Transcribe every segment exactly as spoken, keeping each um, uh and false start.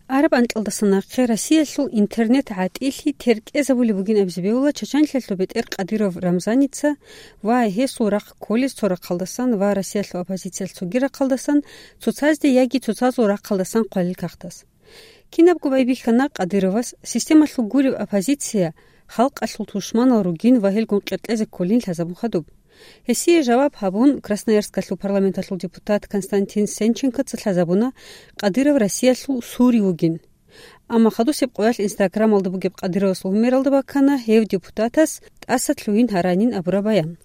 Араб анкьалдаса нахъе Россиялъул интернет гӀатӀилъи теркӀезабулеб бугин абизе бегьула Чачанлъиялъул бетӀер Кадыров Рамзаница ва гьесул рахъ кколез цо рахъалдасан ва Россиялъул оппозициялъ цоги рахъалдасан, цоцазде яги цоцазул рахъалдасан хъвалил кагътас. Кинабго байбихьана Кадыровас системалъул гуреб оппозиция халкъалъул тушманал ругин ва гьелгун къеркьезе кколин лъазабун хадуб. Гьесие жаваб гьабун, Красноярскалъул парламенталъул депутат Константин Сенченкоца лъазабуна, Кадыров Россиялъул сури вугин. Амма хадусеб къоялъ Инстаграмалда бугеб Кадыровасул гьумералда баккана гьев депутатас тӀаса лъугьин гьаранин абураб баян.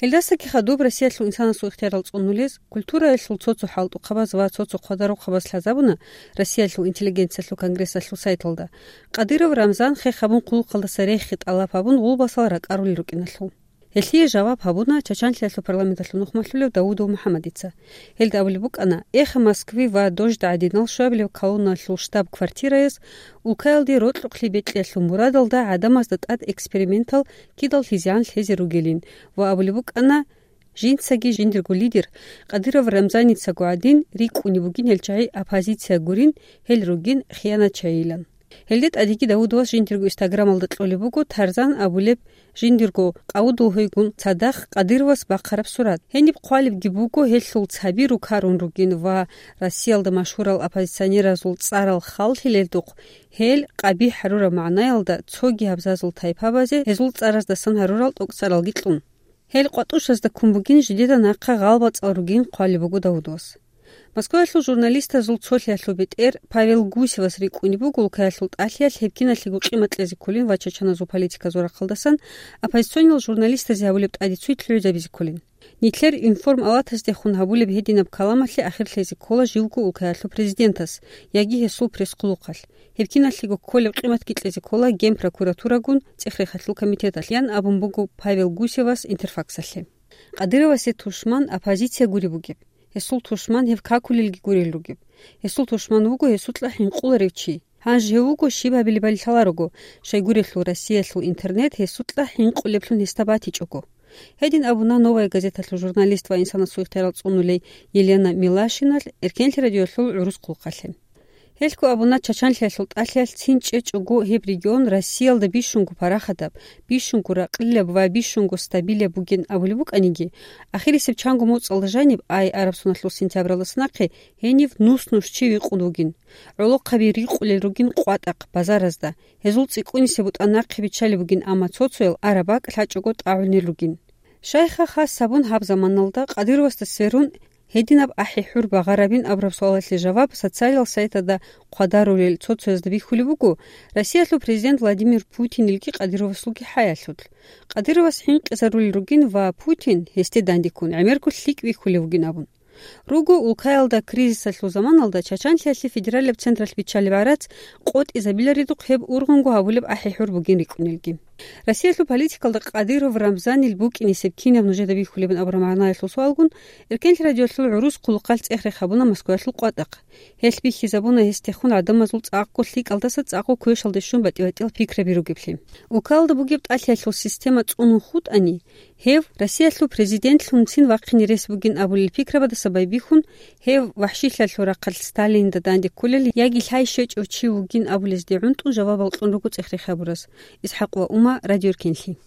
Гьелдасаги хадуб Россиялъул инсанасул ихтиярал цӀунулез, культураялъул цо-цо хӀалтӀухъабаз ва цо-цо хъвадарухъабаз лъазабуна Россиялъул интеллигенциялъул конгрессалъул сайталда. Кадыров Рамзан хех гьабун хъулухъалдаса рехи тӀалаб гьабун гъулбасал ракӀарулел рукӀиналъул. Гьелъие жаваб гьабуна Чачанлъиялъул парламенталъул нухмалъулев Давудов МухӀаммадица. Гьелда абулеб букӀана, Эхо Москвы ва Дождь гӀадинал щуабилеб колонналъул штаб-квартираяс улкаялде рокьухълъи бекьиялъул мурадалда гӀадамазда тӀад экспериментал кидал лъизегӀан лъезе ругелин ва абулеб букӀана, жинцаги жиндирго лидер Кадыров Рамзаницаго гӀадин рикӀкӀунеб бугин гьел чагӀи оппозиция гурин, гьел ругин хиянатчагӀилан. Гьелде тӀадеги Давудовас жиндирго Инстаграмалда кьолеб буго Тарзан абулеб жиндирго къавудул гьойгун цадахъ Кадыровас бахъараб сурат. Гьениб хъвалебги буго гьелъул цаби рукарун ругин ва Россиялда машгьурал оппозиционеразул цӀарал халлъилелдухъ гьел къабихӀ гьарураб магӀнаялда цоги абзазул тайпабазе гьезул цӀараздасан гьарурал тӀокӀцӀаралги кьун. Гьел къватӀушазда ккун бугин жидеда нахъа гъалбацӀал ругин хъвалеб буго Давудовас. Москваялъул журналистазул цолъиялъул бетӀер Павел Гусевас рикӀкӀунеб буго улкаялъул тӀалъиялъ гьеб киналъего къимат кьезе кколин ва чачаназул политиказул рахъалдасан оппозиционал журналистазе гьабулеб тӀаде цуй лъугӀизабизе кколин. Нилъер информалатаздехун гьабулеб гьединаб каламалъе ахир лъезе ккола живго улкаялъул президентас яги гьесул пресс-хъулухъалъ. Гьеб киналъего кколеб къиматги кьезе ккола Генпрокуратурагун цӀех-рехалъул комитеталъ, ян абун буго Павел Гусевас Интерфаксалъе. Кадыровасе тушман оппозиция гуреб бугеб. Гьесул тушман гьев какулелги гурел ругеб. Гьесул тушман вуго гьесукьа хӀинкъуларев чи. Гьанже гьев вуго щиб гьабилебали лъаларого, щайгурелъул Россиялъул интернет гьесукьа хӀинкъулеблъун гьесда батичӀого. Гьедин абуна «Новая газеталъул» журналист ва инсанасул ихтиярал цӀунулей Елена Милашиналъ Эркенлъи радиоялъул гӀурус хъулухъалъе. Гьелъго абуна, Чачанлъиялъул тӀалъиялъ цин чӀечӀого гьеб регион Россиялда бищунго парахатаб, бищунго ракълилаб ва бищунго стабилаб бугин абулеб букӀаниги, ахирисеб чанго моцӀалда жаниб, ай араб соналъул сентябралдаса нахъе, гьенив нус-нус чи вихъун вугин. ГӀолохъаби рикъулел ругин къватӀахъ, базаразда. Гьезул цӀикӀкӀунисеб бутӀа нахъе биччалеб бугин, амма цо-цоял араб бакӀ лъачӀого тӀагӀунел ругин. Щайха хас гьабун гьаб заманалда Кадыровасда сверун гьединаб ахӀи-хӀур багъарабин абураб суалалъе жаваб социалал сайтада хъвадарулел цо-цоязда бихьулеб буго, Россиялъул президент Владимир Путинилги Кадыровасулги хӀаялъулъ. Кадыровас хӀинкъизарулел ругин ва Путин, гьесде дандеккун, гӀемерго лъикӀ вихьулев вугин абун. Руго улкаялда кризисалъул заманалда Чачанлъиялъе федералияб централъ биччалеб гӀарац къотӀизабиларидухъ гьеб ургъунго гьабулеб ахӀи-хӀур бугин рикӀкӀунелги. Россиялъул политикалда Кадыров Рамзанил букӀинисеб кинаб нужеда бихьулебин абураб магӀнаялъул суалгун, Эркенлъи радиоялъул гӀурус хъулухъалъ цӀех-рех гьабуна Москваялъул къватӀахъ. Гьелъ бихьизабуна гьесдехун гӀадамазул цӀакъго лъикӀалдаса цӀакъго квешалде щун батӀи-батӀиял пикраби ругеблъи. Улкалда бугеб тӀалъиялъул система цӀунун хутӀани, гьев Россиялъул президентлъунцин вахъине рес бугин абулел пикрабадаса байбихьун, гьев вахӀшилъиялъул рахъалъ Сталинда данде кколел яги лъай щвечӀев чи вугин абулезде гӀунтӀун жавабал кьун руго цӀех-рех гьабурас. ИсхӀакъ ва Ума, Радио Эркенлъи.